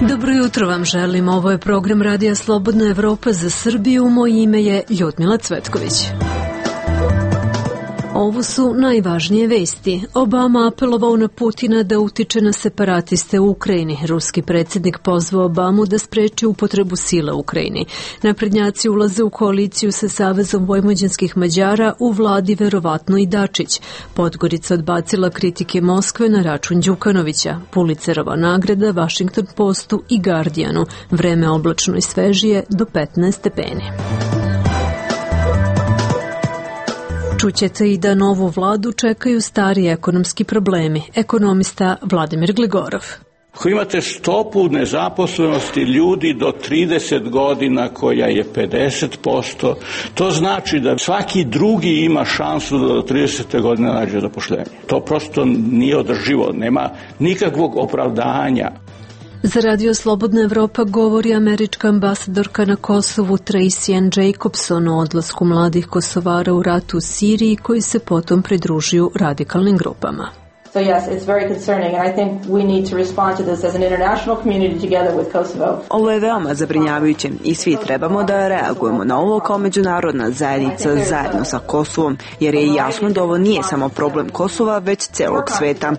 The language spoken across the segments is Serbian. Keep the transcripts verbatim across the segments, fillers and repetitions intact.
Dobro jutro vam želim, ovo je program Radija Slobodna Evropa za Srbiju, moje ime je Ljudmila Cvetković. Ovo su najvažnije vesti. Obama apelovao na Putina da utiče na separatiste u Ukrajini. Ruski predsjednik pozvao Obamu da spreči upotrebu sile u Ukrajini. Naprednjaci ulaze u koaliciju sa Savezom vojvođanskih Mađara, u vladi verovatno i Dačić. Podgorica odbacila kritike Moskve na račun Đukanovića. Pulitzerova nagrada Washington Postu i Guardianu. Vreme oblačno i svežije do petnaest stepeni. Čućete i da novu vladu čekaju stari ekonomski problemi. Ekonomista Vladimir Gligorov. Ako imate stopu nezaposlenosti ljudi do trideset godina koja je pedeset posto, to znači da svaki drugi ima šansu da do tridesete godine nađe zaposlenje. To prosto nije održivo, nema nikakvog opravdanja. Za Radio Slobodna Evropa govori američka ambasadorka na Kosovu Tracy Ann Jacobson o odlasku mladih Kosovara u ratu u Siriji koji se potom pridružuju radikalnim grupama. So yes, it's very concerning and I think we need to respond to this as an international community together with Kosovo. Ovo je veoma zabrinjavajuće i svi trebamo da reagujemo na ovo kao međunarodna zajednica zajedno sa Kosovom, jer je jasno da ovo nije samo problem Kosova, već celog sveta.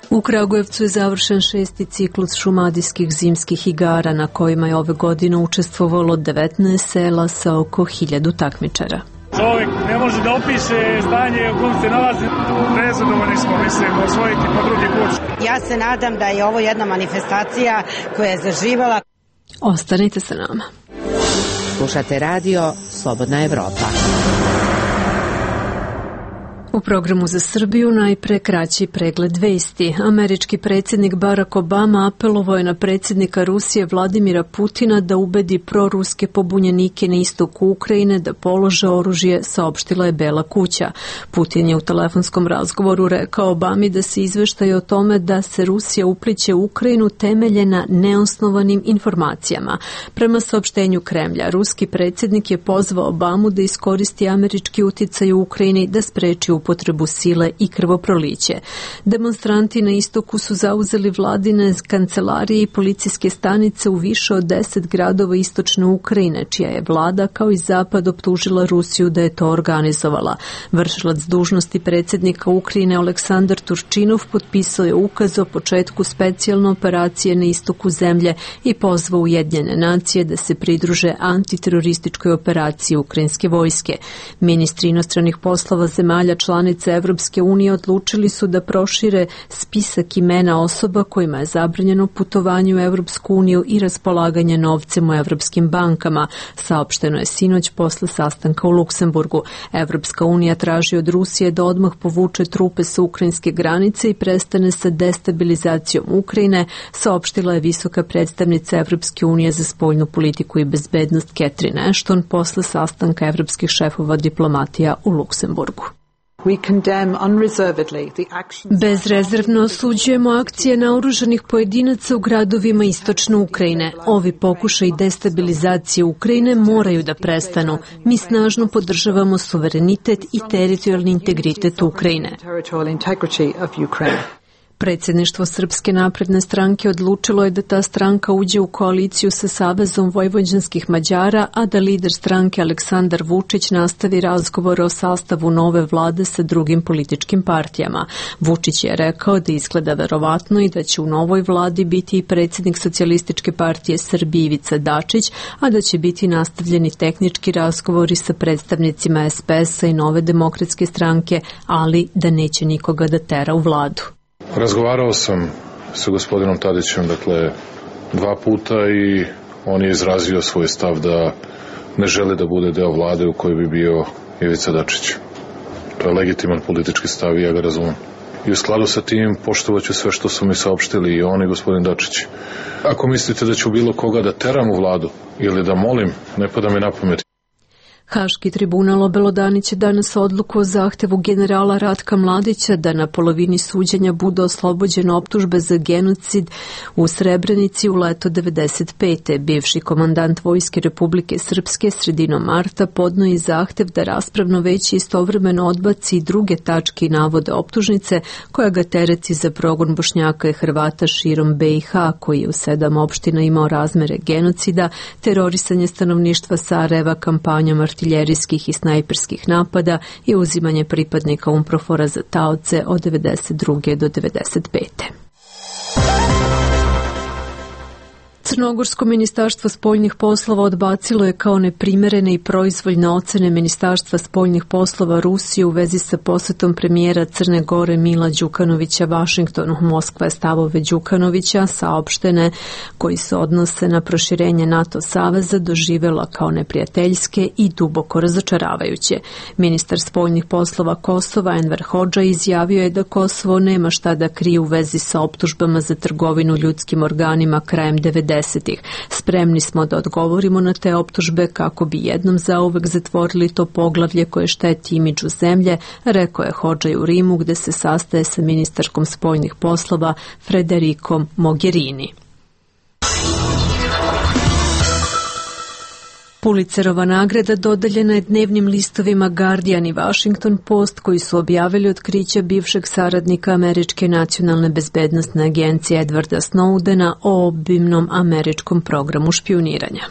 U Kragujevcu je završen šesti ciklus šumadijskih zimskih igara na kojima je ove godine učestvovalo devetnaest sela sa oko hiljadu takmičara. Čovjek ne može da opiše stanje u kojem se nalazi. Nezadovoljni smo, mislim, osvojiti po drugi put. Ja se nadam da je ovo jedna manifestacija koja je zaživala. Ostanite sa nama. Slušate radio Slobodna Evropa. U programu za Srbiju najpre kraći pregled vesti. Američki predsjednik Barack Obama apelovao je na predsjednika Rusije Vladimira Putina da ubedi proruske pobunjenike na istoku Ukrajine da polože oružje, saopštila je Bela kuća. Putin je u telefonskom razgovoru rekao Obami da se izveštaje o tome da se Rusija upliće u Ukrajinu temelje na neosnovanim informacijama. Prema saopštenju Kremlja, ruski predsjednik je pozvao Obamu da iskoristi američki uticaj u Ukrajini da spreči upotrebu sile i krvoproliće. Demonstranti na istoku su zauzeli vladine kancelarije i policijske stanice u više od deset gradova istočne Ukrajine, čija je vlada kao i zapad optužila Rusiju da je to organizovala. Vršilac dužnosti predsjednika Ukrajine Aleksandar Turčinov potpisao je ukaz o početku specijalne operacije na istoku zemlje i pozvao Ujedinjene nacije da se pridruže antiterorističkoj operaciji ukrajinske vojske. Ministri inostranih poslova zemalja članica Evropske unije odlučili su da prošire spisak imena osoba kojima je zabranjeno putovanje u Evropsku uniju i raspolaganje novcem u evropskim bankama, saopšteno je sinoć posle sastanka u Luksemburgu. Evropska unija traži od Rusije da odmah povuče trupe sa ukrajinske granice i prestane sa destabilizacijom Ukrajine, saopštila je visoka predstavnica Evropske unije za spoljnu politiku i bezbednost Catherine Ashton posle sastanka evropskih šefova diplomatija u Luksemburgu. Bezrezervno osuđujemo akcije naoružanih pojedinaca u gradovima istočne Ukrajine. Ovi pokušaji destabilizacije Ukrajine moraju da prestanu. Mi snažno podržavamo suverenitet i teritorijalni integritet Ukrajine. Predsjedništvo Srpske napredne stranke odlučilo je da ta stranka uđe u koaliciju sa Savezom vojvođanskih Mađara, a da lider stranke Aleksandar Vučić nastavi razgovore o sastavu nove vlade sa drugim političkim partijama. Vučić je rekao da izgleda verovatno i da će u novoj vladi biti i predsjednik Socijalističke partije Srbije Ivica Dačić, a da će biti nastavljeni tehnički razgovori sa predstavnicima S P S-a i Nove demokratske stranke, ali da neće nikoga da tera u vladu. Razgovarao sam sa gospodinom Tadićem, dakle, dva puta i on je izrazio svoj stav da ne želi da bude deo vlade u kojoj bi bio Ivica Dačić. To je legitiman politički stav i ja ga razumem. I u skladu sa tim poštovaću sve što su mi saopštili i on i gospodin Dačić. Ako mislite da ću bilo koga da teram u vladu ili da molim, ne pada mi na pamet. Haški tribunal obelodaniće danas odluku o zahtevu generala Ratka Mladića da na polovini suđenja bude oslobođen optužbe za genocid u Srebrenici u leto devedeset pete. Bivši komandant Vojske Republike Srpske sredinom marta podno i zahtev da raspravno veće istovremeno odbaci druge tačke i navode optužnice koja ga tereti za progon Bošnjaka i Hrvata širom B i H, koji je u sedam opština imao razmere genocida, terorisanje stanovništva Sarajeva, kampanjom artiljerijskih i snajperskih napada i uzimanje pripadnika UNPROFOR-a za taoce od devedeset druge do devedeset pete. Crnogorsko ministarstvo spoljnih poslova odbacilo je kao neprimerene i proizvoljne ocene Ministarstva spoljnih poslova Rusije u vezi sa posetom premijera Crne Gore Mila Đukanovića Vašingtonu. Moskva je stavove Đukanovića, saopštene koji se odnose na proširenje NATO saveza, doživela kao neprijateljske i duboko razočaravajuće. Ministar spoljnih poslova Kosova Enver Hodža izjavio je da Kosovo nema šta da krije u vezi sa optužbama za trgovinu ljudskim organima krajem devedesetih. Spremni smo da odgovorimo na te optužbe kako bi jednom zauvek zatvorili to poglavlje koje šteti imidžu zemlje, rekao je Hodža u Rimu gde se sastaje sa ministarkom spoljnih poslova Frederikom Mogherini. Pulitzerova nagrada dodeljena je dnevnim listovima Guardian i Washington Post, koji su objavili otkrića bivšeg saradnika Američke nacionalne bezbednosne agencije Edwarda Snowdena o obimnom američkom programu špijuniranja.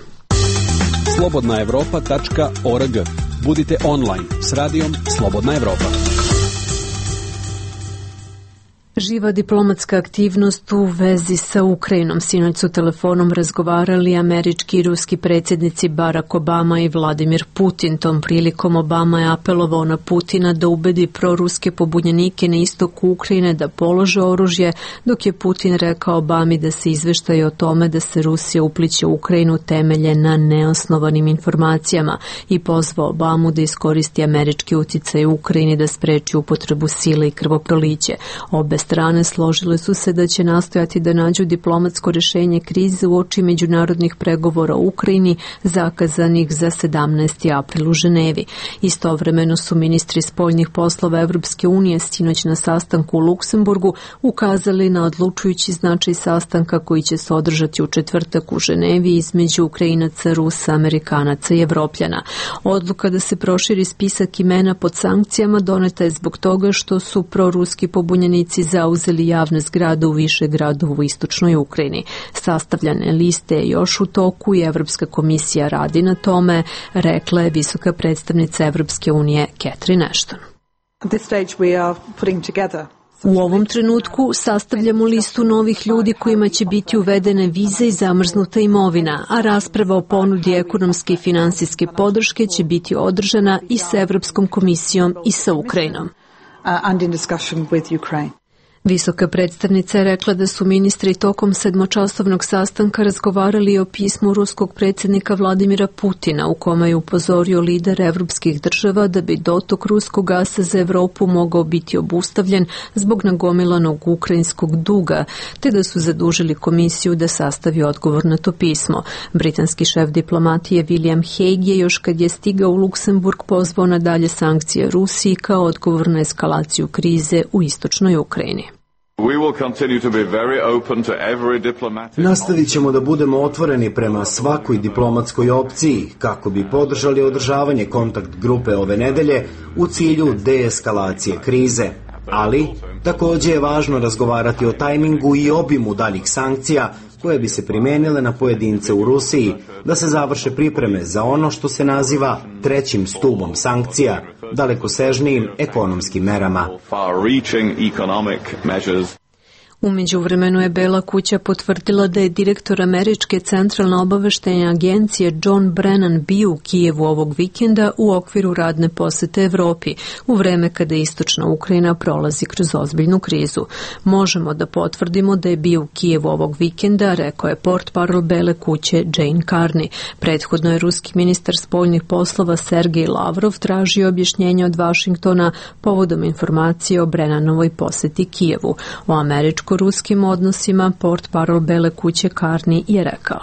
slobodna evropa tačka org. Budite online s radijom Slobodna Evropa. Živa diplomatska aktivnost u vezi sa Ukrajinom. Sinoć su telefonom razgovarali američki i ruski predsjednici Barack Obama i Vladimir Putin. Tom prilikom Obama je apelovao na Putina da ubedi proruske pobunjenike na istoku Ukrajine da polože oružje, dok je Putin rekao Obami da se izveštaje o tome da se Rusija upliće u Ukrajinu temelje na neosnovanim informacijama i pozvao Obamu da iskoristi američki uticaj u Ukrajini da spreči upotrebu sile i krvoproliće. Obe strane složile su se da će nastojati da nađu diplomatsko rješenje krize uoči međunarodnih pregovora u Ukrajini zakazanih za sedamnaesti april u Ženevi. Istovremeno su ministri spoljnih poslova Evropske unije sinoć na sastanku u Luksemburgu ukazali na odlučujući značaj sastanka koji će se održati u četvrtak u Ženevi između Ukrajinaca, Rusa, Amerikanaca i Evropljana. Odluka da se proširi spisak imena pod sankcijama doneta je zbog toga što su proruski pobunjenici zauzeli javne zgrade u više gradova u istočnoj Ukrajini. Sastavljane liste je još u toku i Evropska komisija radi na tome, rekla je visoka predstavnica Evropske unije Catherine Ashton. U ovom trenutku sastavljamo listu novih ljudi kojima će biti uvedene vize i zamrznuta imovina, a rasprava o ponudi ekonomske i finansijske podrške će biti održana i sa Evropskom komisijom i sa Ukrajinom. Visoka predstavnica je rekla da su ministri tokom sedmočasovnog sastanka razgovarali o pismu ruskog predsjednika Vladimira Putina u kome je upozorio lider evropskih država da bi dotok ruskog gasa za Evropu mogao biti obustavljen zbog nagomilanog ukrajinskog duga, te da su zadužili komisiju da sastavi odgovor na to pismo. Britanski šef diplomatije William Hague je još kad je stigao u Luksemburg pozvao na dalje sankcije Rusiji kao odgovor na eskalaciju krize u istočnoj Ukrajini. Nastavit ćemo da budemo otvoreni prema svakoj diplomatskoj opciji kako bi podržali održavanje kontakt grupe ove nedelje u cilju deeskalacije krize. Ali, također je važno razgovarati o tajmingu i obimu daljih sankcija koje bi se primenile na pojedince u Rusiji, da se završe pripreme za ono što se naziva trećim stubom sankcija, dalekosežnijim ekonomskim merama. U međuvremenu je Bela kuća potvrdila da je direktor Američke centralne obaveštajne agencije John Brennan bio u Kijevu ovog vikenda u okviru radne posete Evropi, u vreme kada istočna Ukrajina prolazi kroz ozbiljnu krizu. Možemo da potvrdimo da je bio u Kijevu ovog vikenda, rekao je portparol Bele kuće Jane Carney. Prethodno je ruski ministar spoljnih poslova Sergej Lavrov tražio objašnjenje od Vašingtona povodom informacije o Brennanovoj poseti Kijevu. O američko ruskim odnosima portparol Bele kuće Carney je rekao.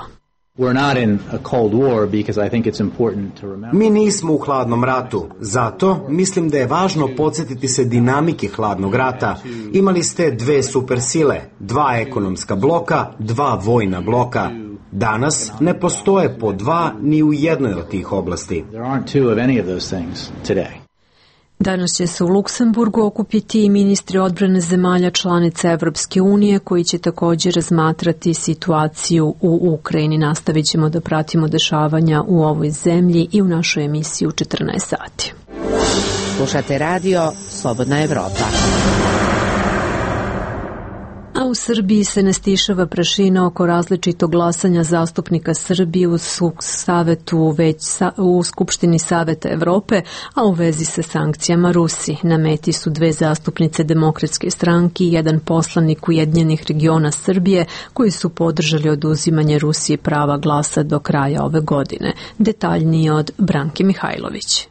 Mi nismo u hladnom ratu, zato mislim da je važno podsjetiti se dinamike hladnog rata. Imali ste dve supersile, dva ekonomska bloka, dva vojna bloka. Danas ne postoje po dva ni u jednoj od tih oblasti. Danas će se u Luksemburgu okupiti i ministri odbrane zemalja članica Evropske unije koji će također razmatrati situaciju u Ukrajini. Nastavit ćemo da pratimo dešavanja u ovoj zemlji i u našoj emisiji u četrnaest sati. Slušate radio Slobodna Evropa. A u Srbiji se ne stišava prašina oko različitog glasanja zastupnika Srbije u savetu već sa, u Skupštini Saveta Evrope, a u vezi sa sankcijama Rusiji. Na meti su dve zastupnice Demokratske stranke i jedan poslanik Ujedinjenih regiona Srbije koji su podržali oduzimanje Rusiji prava glasa do kraja ove godine. Detaljnije od Branke Mihajlović.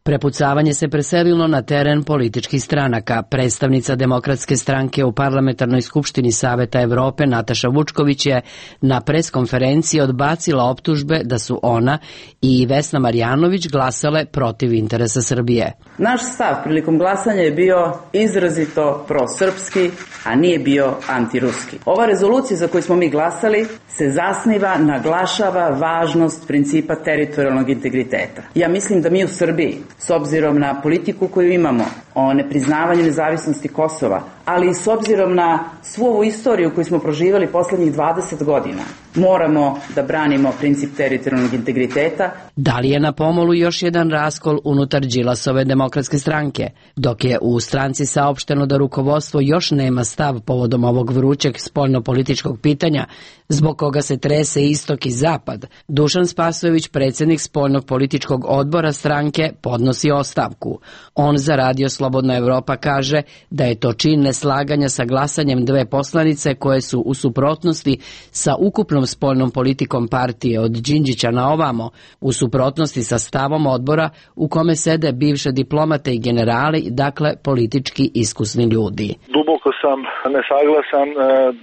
Prepucavanje se preselilo na teren političkih stranaka. Predstavnica Demokratske stranke u Parlamentarnoj skupštini Saveta Evrope Nataša Vučković je na preskonferenciji odbacila optužbe da su ona i Vesna Marjanović glasale protiv interesa Srbije. Naš stav prilikom glasanja je bio izrazito prosrpski, a nije bio antiruski. Ova rezolucija za koju smo mi glasali se zasniva, naglašava važnost principa teritorijalnog integriteta. Ja mislim da mi u Srbiji, s obzirom na politiku koju imamo o nepriznavanju nezavisnosti Kosova, ali i s obzirom na svu ovu istoriju koju smo proživali poslednjih dvadeset godina, moramo da branimo princip teritorijalnog integriteta. Da li je na pomolu još jedan raskol unutar Đilasove Demokratske stranke? Dok je u stranci saopšteno da rukovodstvo još nema stav povodom ovog vrućeg spoljnopolitičkog pitanja, zbog koga se trese istok i zapad, Dušan Spasojević, predsjednik spoljnog političkog odbora stranke, podnosi ostavku. On za radio Slobodna Evropa kaže da je to čin neslaganja sa glasanjem dve poslanice koje su u suprotnosti sa ukupnom spoljnom politikom partije od Đinđića na ovamo, u suprotnosti sa stavom odbora u kome sede bivše diplomate i generali, dakle politički iskusni ljudi. Duboko sam nesaglasan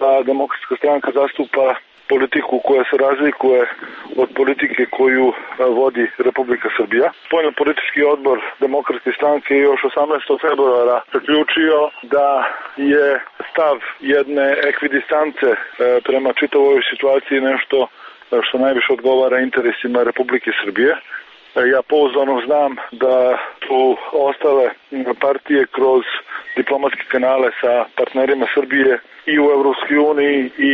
da Demokratska stranka zastupa politiku koja se razlikuje od politike koju vodi Republika Srbija. Spoljno-politički odbor Demokratske stranke još osamnaestog februara zaključio da je stav jedne ekvidistance prema čitavoj situaciji nešto što najviše odgovara interesima Republike Srbije. Ja pouzdano znam da su ostale partije kroz diplomatske kanale sa partnerima Srbije i u Evropskoj uniji i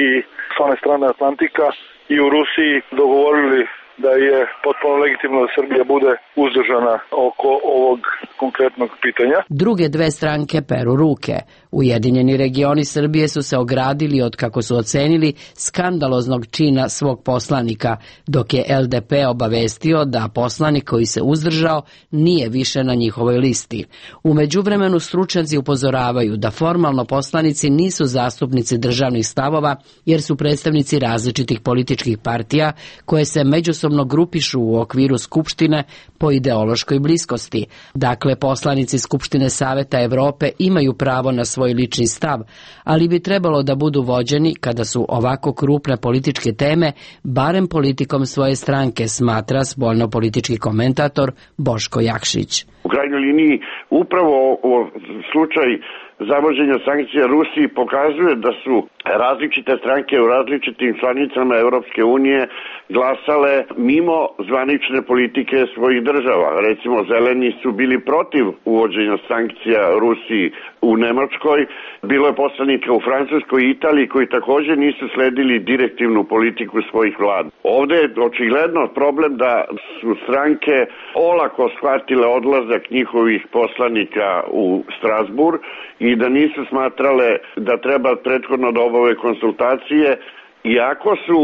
s one strane Atlantika i u Rusiji dogovorili da je potpuno legitimno da Srbija bude uzdržana oko ovog konkretnog pitanja. Druge dve stranke peru ruke. Ujedinjeni regioni Srbije su se ogradili od, kako su ocenili, skandaloznog čina svog poslanika, dok je L D P obavestio da poslanik koji se uzdržao nije više na njihovoj listi. U međuvremenu stručnjaci upozoravaju da formalno poslanici nisu zastupnici državnih stavova jer su predstavnici različitih političkih partija koje se međusobno grupišu u okviru Skupštine po ideološkoj bliskosti. Dakle, poslanici Skupštine Saveta Evrope imaju pravo na svoj lični stav, ali bi trebalo da budu vođeni kada su ovako krupne političke teme, barem politikom svoje stranke, smatra spoljno-politički komentator Boško Jakšić. U krajnjoj liniji upravo slučaj zavođenja sankcija Rusiji pokazuje da su različite stranke u različitim članicama Evropske unije glasale mimo zvanične politike svojih država. Recimo, zeleni su bili protiv uvođenja sankcija Rusiji u Nemačkoj, bilo je poslanika u Francuskoj i Italiji koji također nisu sledili direktivnu politiku svojih vlada. Ovdje je očigledno problem da su stranke olako shvatile odlazak njihovih poslanika u Strasbourg i da nisu smatrale da treba prethodno da obave konsultacije, iako su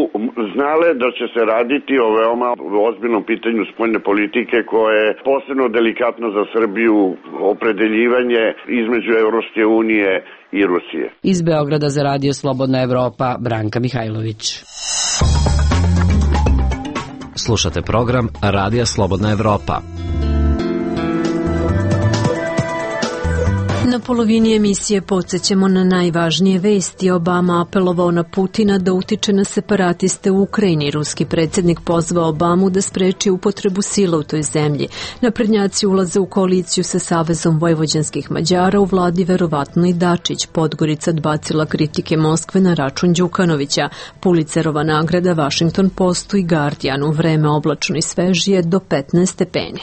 znale da će se raditi o veoma ozbiljnom pitanju spoljne politike koje je posebno delikatno za Srbiju, opredeljivanje između Evropske unije i Rusije. Iz Beograda za radio Slobodna Evropa, Branka Mihajlović. Slušate program Radija Slobodna Evropa. Na polovini emisije podsjećamo na najvažnije vesti. Obama apelovao na Putina da utiče na separatiste u Ukrajini. Ruski predsjednik pozvao Obamu da spreči upotrebu sila u toj zemlji. Naprednjaci ulaze u koaliciju sa Savezom vojvođanskih Mađara, u vladi verovatno i Dačić. Podgorica odbacila kritike Moskve na račun Đukanovića. Pulicerova nagrada Washington Postu i Guardianu. Vreme oblačno i svežije do petnaest stepeni.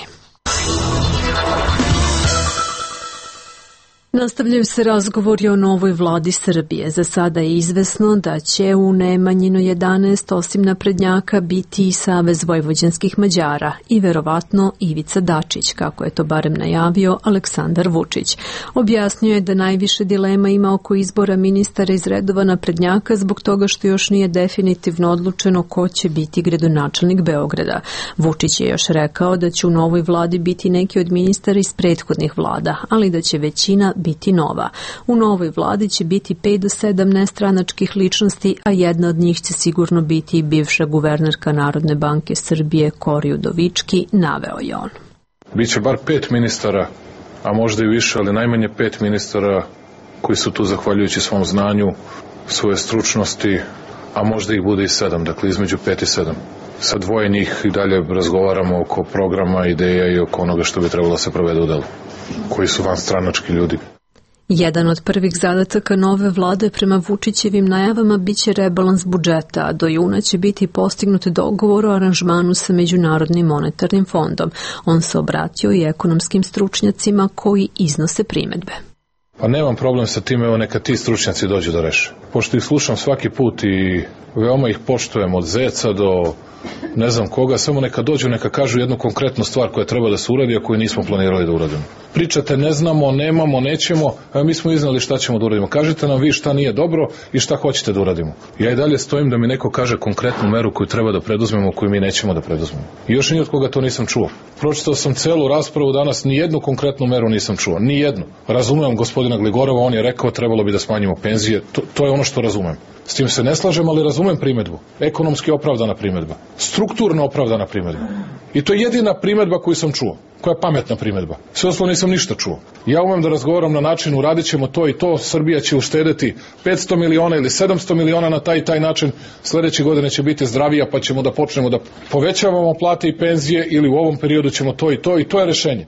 Nastavljaju se razgovori o novoj vladi Srbije. Za sada je izvesno da će u Nemanjino jedanaest osim naprednjaka biti i Savez vojvođanskih Mađara i verovatno Ivica Dačić, kako je to barem najavio Aleksandar Vučić. Objasnio je da najviše dilema ima oko izbora ministara iz redova naprednjaka zbog toga što još nije definitivno odlučeno ko će biti gradonačelnik Beograda. Vučić je još rekao da će u novoj vladi biti neki od ministara iz prethodnih vlada, ali da će većina biti nova. U novoj vladi će biti pet do sedam nestranačkih ličnosti, a jedna od njih će sigurno biti i bivša guvernerka Narodne banke Srbije Kori Udovički, naveo je on. Biće bar pet ministara, a možda i više, ali najmanje pet ministara koji su tu zahvaljujući svom znanju, svoje stručnosti, a možda ih bude i sedam, dakle između pet i sedam. Sa dvoje njih i dalje razgovaramo oko programa, ideja i oko onoga što bi trebalo se provede u delu, koji su vanstranački ljudi. Jedan od prvih zadataka nove vlade prema Vučićevim najavama biće rebalans budžeta, a do juna će biti postignut dogovor o aranžmanu sa Međunarodnim monetarnim fondom. On se obratio i ekonomskim stručnjacima koji iznose primedbe. Pa nemam problem sa tim, evo neka ti stručnjaci dođu da reše. Pošto ih slušam svaki put i veoma ih poštujem od zeca do ne znam koga, samo neka dođu, neka kažu jednu konkretnu stvar koja treba da se uradi, a koju nismo planirali da uradimo. Pričate ne znamo, nemamo, nećemo, a mi smo iznali šta ćemo da uradimo. Kažite nam vi šta nije dobro i šta hoćete da uradimo. Ja i dalje stojim da mi neko kaže konkretnu meru koju treba da preduzmemo, koju mi nećemo da preduzmemo. I još ni od koga to nisam čuo. Pročitao sam celu raspravu danas, ni jednu konkretnu meru nisam čuo, ni jednu. Razumem gospodina Gligorova, on je rekao trebalo bi da smanjimo penzije, to, to je ono što razumem. S tim se ne slažem, ali razumem primedbu. Ekonomski opravdana primedba. Strukturno opravdana primedba. I to je jedina primedba koju sam čuo. Koja je pametna primedba. Sve ostalo nisam ništa čuo. Ja umem da razgovaram na način, uradit ćemo to i to, Srbija će uštedeti petsto miliona ili sedamsto miliona na taj i taj način, sledeće godine će biti zdravija pa ćemo da počnemo da povećavamo plate i penzije ili u ovom periodu ćemo to i to i to je rešenje.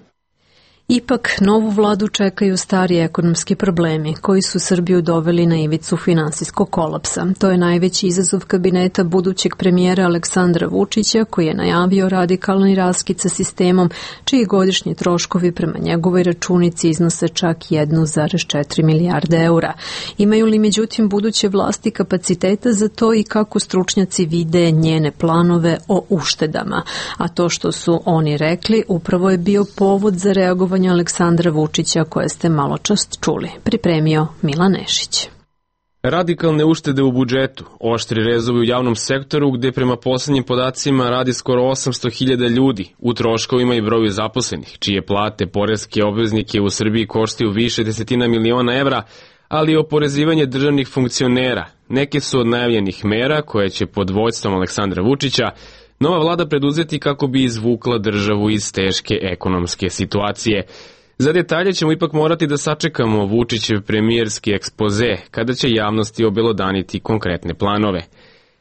Ipak, novu vladu čekaju stari ekonomski problemi koji su Srbiju doveli na ivicu finansijskog kolapsa. To je najveći izazov kabineta budućeg premijera Aleksandra Vučića, koji je najavio radikalni raskid sa sistemom, čiji godišnji troškovi prema njegovoj računici iznose čak jedan zarez četiri milijarde eura. Imaju li međutim buduće vlasti kapaciteta za to i kako stručnjaci vide njene planove o uštedama? A to što su oni rekli upravo je bio povod za reagovanje Aleksandra Vučića koje ste malo čas čuli. Pripremio Milan Nešić. Radikalne uštede u budžetu, oštri rezovi u javnom sektoru gde prema poslednjim podacima radi skoro osamsto hiljada ljudi, u troškovima i broju zaposlenih, čije plate poreske obveznike u Srbiji koštaju više desetina miliona evra, ali i oporezivanje državnih funkcionera. Neke su od najavljenih mera koje će pod vođstvom Aleksandra Vučića nova vlada preduzeti kako bi izvukla državu iz teške ekonomske situacije. Za detalje ćemo ipak morati da sačekamo Vučićev premijerski ekspoze, kada će javnosti obelodaniti konkretne planove.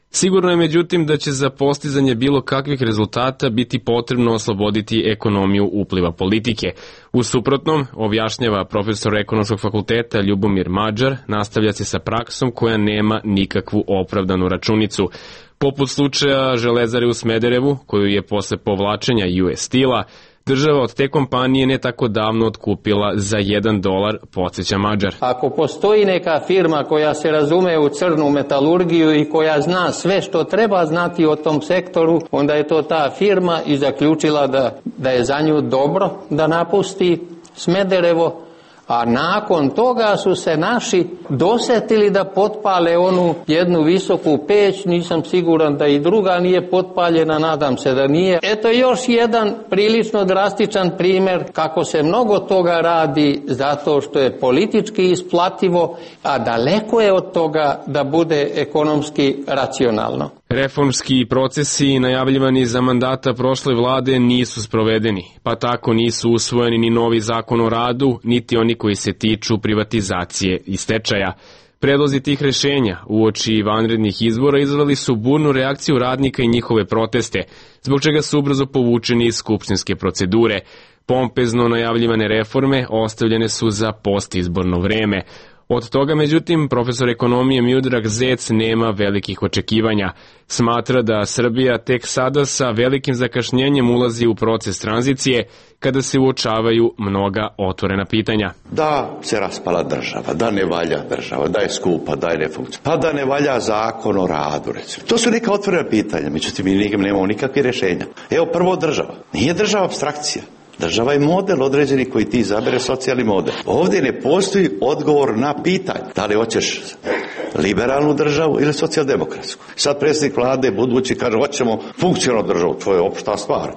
Sigurno je međutim da će za postizanje bilo kakvih rezultata biti potrebno osloboditi ekonomiju upliva politike. U suprotnom, objašnjava profesor ekonomskog fakulteta Ljubomir Mađar, nastavlja se sa praksom koja nema nikakvu opravdanu računicu. Poput slučaja Železare u Smederevu, koju je posle povlačenja U S Steel-a, država od te kompanije ne tako davno otkupila za jedan dolar, podsjeća Mađar. Ako postoji neka firma koja se razume u crnu metalurgiju i koja zna sve što treba znati o tom sektoru, onda je to ta firma i zaključila da, da je za nju dobro da napusti Smederevo, a nakon toga su se naši dosetili da potpale onu jednu visoku peć, nisam siguran da i druga nije potpaljena, nadam se da nije. Eto još jedan prilično drastičan primer kako se mnogo toga radi zato što je politički isplativo, a daleko je od toga da bude ekonomski racionalno. Reformski procesi najavljivani za mandata prošle vlade nisu sprovedeni, pa tako nisu usvojeni ni novi zakon o radu, niti oni koji se tiču privatizacije i stečaja. Predlozi tih rešenja uoči vanrednih izbora izveli su burnu reakciju radnika i njihove proteste, zbog čega su ubrzo povučeni iz skupštinske procedure. Pompezno najavljivane reforme ostavljene su za postizborno vreme. Od toga, međutim, profesor ekonomije Miodrag Zec nema velikih očekivanja. Smatra da Srbija tek sada sa velikim zakašnjenjem ulazi u proces tranzicije kada se uočavaju mnoga otvorena pitanja. Da se raspala država, da ne valja država, da je skupa, da je nefunkcija, pa da ne valja zakon o radu, recimo. To su neka otvorena pitanja, međutim, mi nemamo nikakve rješenja. Evo, prvo država. Nije država apstrakcija. Država je model određeni koji ti izabere, socijalni model. Ovdje ne postoji odgovor na pitanje da li hoćeš liberalnu državu ili socijaldemokratsku. Sad predsjednik vlade budući kaže hoćemo funkcionalnu državu, to je opšta stvar.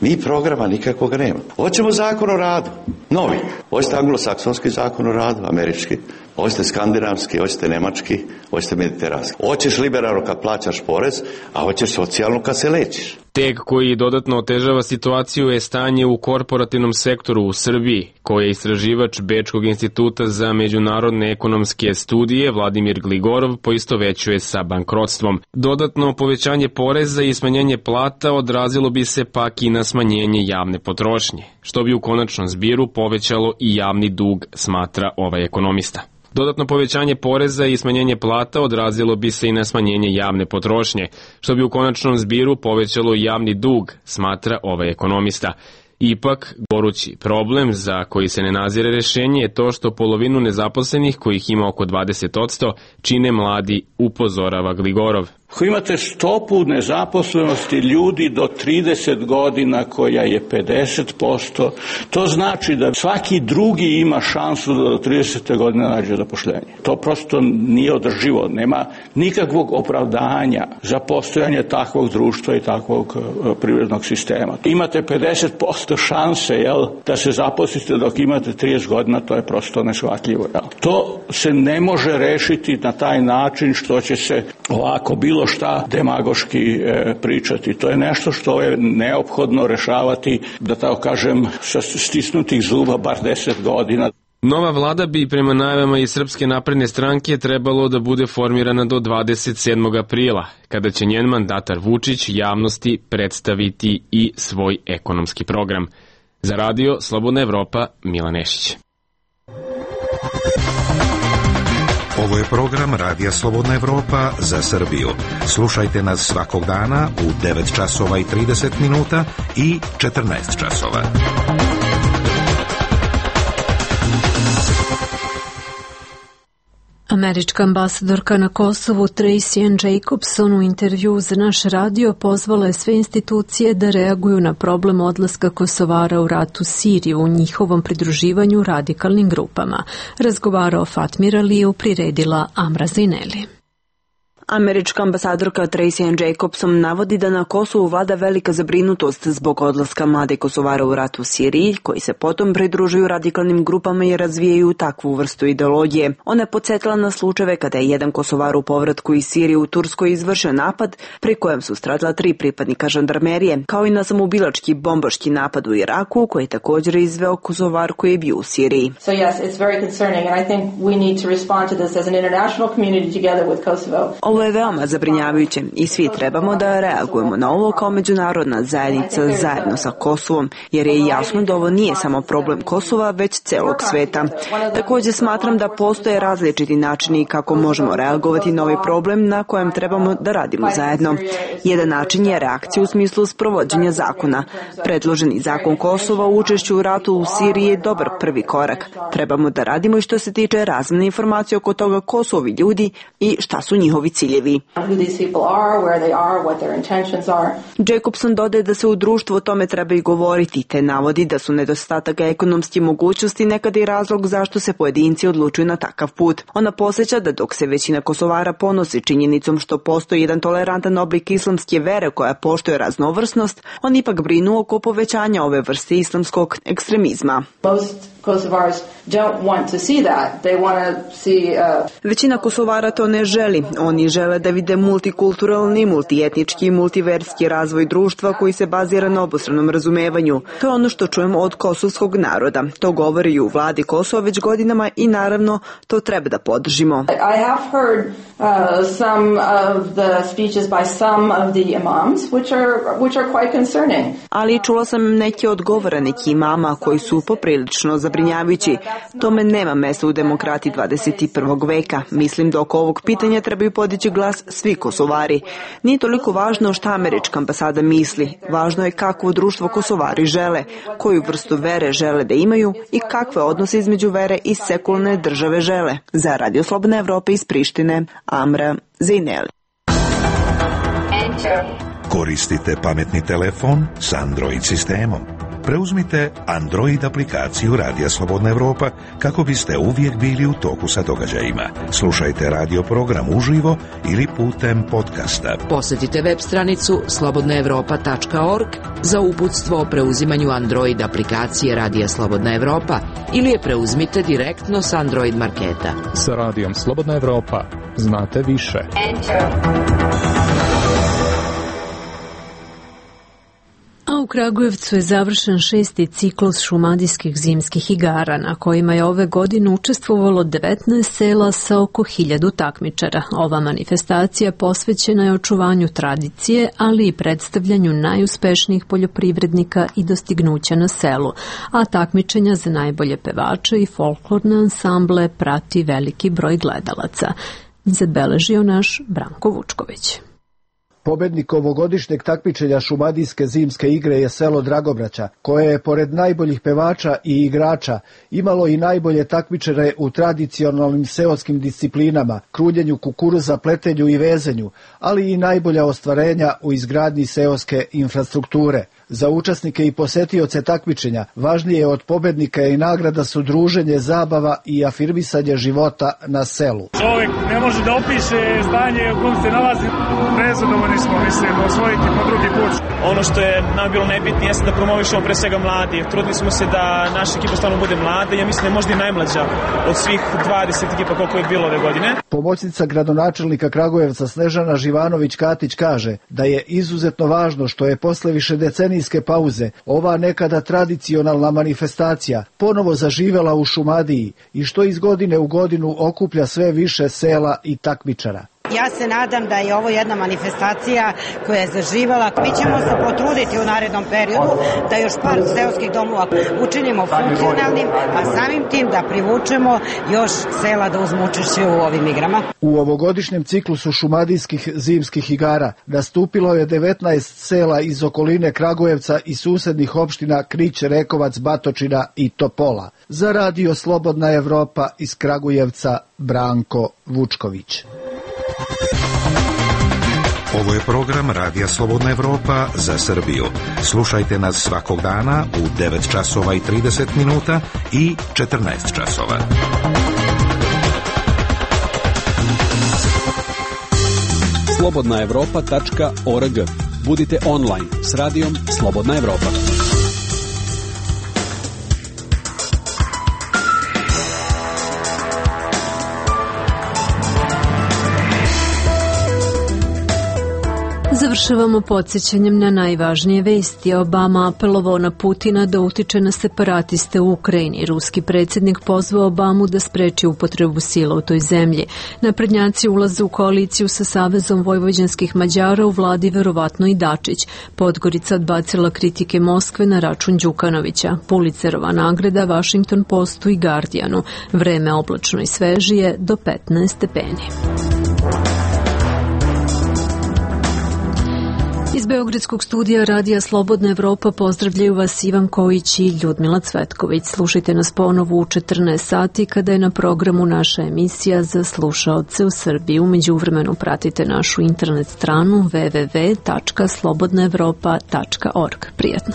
Mi programa nikakvog nema. Hoćemo zakon o radu, novi. Hoćete anglosaksonski zakon o radu, američki. Hoćete skandinavski, hoćete nemački, hoćete mediteranski. Hoćeš liberalno kad plaćaš porez, a hoćeš socijalno kad se lečiš. Tek koji dodatno otežava situaciju je stanje u korporativnom sektoru u Srbiji, koje je istraživač Bečkog instituta za međunarodne ekonomske studije Vladimir Gligorov poistovećuje sa bankrotstvom. Dodatno povećanje poreza i smanjenje plata odrazilo bi se pak i na smanjenje javne potrošnje, što bi u konačnom zbiru povećalo i javni dug, smatra ovaj ekonomista. Dodatno povećanje poreza i smanjenje plata odrazilo bi se i na smanjenje javne potrošnje, što bi u konačnom zbiru povećalo i javni dug, smatra ovaj ekonomista. Ipak, gorući problem za koji se ne nazire rešenje je to što polovinu nezaposlenih, kojih ima oko dvadeset posto, čine mladi, upozorava Gligorov. Ako imate stopu nezaposlenosti ljudi do trideset godina koja je pedeset posto, to znači da svaki drugi ima šansu da do tridesete godine nađe zaposlenje. To prosto nije održivo, nema nikakvog opravdanja za postojanje takvog društva i takvog uh, privrednog sistema. Imate pedeset posto šanse, jel, da se zaposlite dok imate trideset godina, to je prosto neshvatljivo. Jel. To se ne može rešiti na taj način što će se ovako bilo šta demagoški e, pričati. To je nešto što je neophodno rešavati, da tako kažem, sa stisnutih zuba bar deset godina. Nova vlada bi prema najavama iz Srpske napredne stranke trebalo da bude formirana do dvadeset sedmog aprila, kada će njen mandatar Vučić javnosti predstaviti i svoj ekonomski program. Za radio Slobodna Evropa, Milan Nešić. Ovo je program Radija Slobodna Evropa za Srbiju. Slušajte nas svakog dana u devet časova i trideset minuta i četrnaest časova. Američka ambasadorka na Kosovu Tracy Ann Jacobson u intervju za naš radio pozvala je sve institucije da reaguju na problem odlaska Kosovara u ratu Siriju u njihovom pridruživanju radikalnim grupama. Razgovarao Fatmir Aliju, priredila Amra Zineli. Američka ambasadorka Tracy Ann Jacobson navodi da na Kosovu vlada velika zabrinutost zbog odlaska mlade Kosovara u rat u Siriji, koji se potom pridružuju radikalnim grupama i razvijaju takvu vrstu ideologije. Ona je podsjetila na slučajeve kada je jedan Kosovar u povratku iz Sirije u Turskoj izvršio napad, pri kojem su stradala tri pripadnika žandarmerije, kao i na samoubilački bombaški napad u Iraku, koji je također izveo Kosovar koji je bio u Siriji. So yes, it's very concerning and I think we need to respond to this as an international community together with Kosovo. Ovo je veoma zabrinjavajuće i svi trebamo da reagujemo na ovo kao međunarodna zajednica zajedno sa Kosovom, jer je jasno da ovo nije samo problem Kosova, već celog sveta. Također smatram da postoje različiti načini kako možemo reagovati na ovaj problem na kojem trebamo da radimo zajedno. Jedan način je reakcija u smislu sprovođenja zakona. Predloženi zakon Kosova o učešću u ratu u Siriji je dobar prvi korak. Trebamo da radimo i što se tiče razmene informacije oko toga ko su ovi ljudi i šta su njihovi ciljevi. Jacobson dodaje da se u društvu o tome treba i govoriti, te navodi da su nedostatak ekonomske mogućnosti nekada i razlog zašto se pojedinci odlučuju na takav put. Ona posjeća da dok se većina Kosovara ponosi činjenicom što postoji jedan tolerantan oblik islamske vere koja poštuje raznovrsnost, on ipak brinu oko povećanja ove vrste islamskog ekstremizma. Većina Kosovara to ne želi. Oni žele žele da vide multikulturalni, multietnički i multiverski razvoj društva koji se bazira na obostranom razumevanju. To je ono što čujemo od kosovskog naroda. To govori i u vladi Kosova već godinama i naravno to treba da podržimo. I have heard uh, some of the speeches by some of the imams which are which are quite concerning. Ali čula sam neke od govora nekih imama koji su poprilično zabrinjavajući. Tome nema mesta u demokratiji dvadeset i prvog veka. Mislim da oko ovog pitanja trebaju podići glas svi Kosovari. Nije toliko važno šta američka ambasada misli. Važno je kakvo društvo Kosovari žele, koju vrstu vere žele da imaju i kakve odnose između vere i sekularne države žele. Za Radio Slobodna Evropa iz Prištine, Amra Zejneli. Koristite pametni telefon s Android sistemom. Preuzmite Android aplikaciju Radija Slobodna Evropa kako biste uvijek bili u toku sa događajima. Slušajte radio program uživo ili putem podcasta. Posjetite web stranicu slobodna evropa tačka org za uputstvo o preuzimanju Android aplikacije Radija Slobodna Evropa ili je preuzmite direktno s Android marketa. Sa Radijom Slobodna Evropa znate više. A u Kragujevcu je završen šesti ciklus šumadijskih zimskih igara, na kojima je ove godine učestvovalo devetnaest sela sa oko hiljadu takmičara. Ova manifestacija posvećena je očuvanju tradicije, ali i predstavljanju najuspešnijih poljoprivrednika i dostignuća na selu, a takmičenja za najbolje pevače i folklorne ansamble prati veliki broj gledalaca. Zabeležio naš Branko Vučković. Pobednik ovogodišnjeg takmičenja šumadijske zimske igre je selo Dragobraća, koje je pored najboljih pevača i igrača imalo i najbolje takmičare u tradicionalnim seoskim disciplinama, kruljenju kukuruza, pletenju i vezenju, ali i najbolja ostvarenja u izgradnji seoske infrastrukture. Za učesnike i posetioce takmičenja važnije od pobednika i nagrada su druženje, zabava i afirmisanje života na selu. Čovjek ne može da opiše zdanje u kojem se nalazi. Nezadovoljni smo, mislim, osvojiti po drugi put. Ono što je nam bilo najbitnije jeste da promovišemo pre svega mladi. Trudili smo se da naša ekipa stvarno bude mlada. Ja mislim da je možda i najmlađa od svih dvadeset ekipa koliko je bilo ove godine. Pomoćnica gradonačelnika Kragujevca Snežana Živanović-Katić kaže da je izuzetno važno što je posle više decenijske pauze ova nekada tradicionalna manifestacija ponovo zaživela u Šumadiji i što iz godine u godinu okuplja sve više sela i takmičara. Ja se nadam da je ovo jedna manifestacija koja je zaživala. Mi ćemo se potruditi u narednom periodu da još par seoskih domova učinimo funkcionalnim, a samim tim da privučemo još sela da uzmu učešće u ovim igrama. U ovogodišnjem ciklusu šumadijskih zimskih igara nastupilo je devetnaest sela iz okoline Kragujevca i susednih opština Krić, Rekovac, Batočina i Topola. Za Radio Slobodna Evropa iz Kragujevca, Branko Vučković. Ovo je program Radija Slobodna Evropa za Srbiju. Slušajte nas svakog dana u devet časova i trideset minuta i četrnaest časova. slobodna evropa tačka org. Budite online s radijom Slobodna Evropa. Završavamo podsjećanjem na najvažnije vesti. Obama apelovao na Putina da utiče na separatiste u Ukrajini. Ruski predsjednik pozvao Obamu da spreči upotrebu sila u toj zemlji. Naprednjaci ulaze u koaliciju sa Savezom vojvođanskih Mađara, u vladi verovatno i Dačić. Podgorica odbacila kritike Moskve na račun Đukanovića. Pulicerova nagrada Washington Postu i Guardianu. Vreme oblačno i svežije do petnaest stepeni. Iz Beogradskog studija Radija Slobodna Evropa pozdravljaju vas Ivan Kojić i Ljudmila Cvetković. Slušajte nas ponovo u četrnaest sati kada je na programu naša emisija za slušaoce u Srbiji. Umeđu vremenu pratite našu internet stranu w w w tačka slobodna evropa tačka org. Prijetno.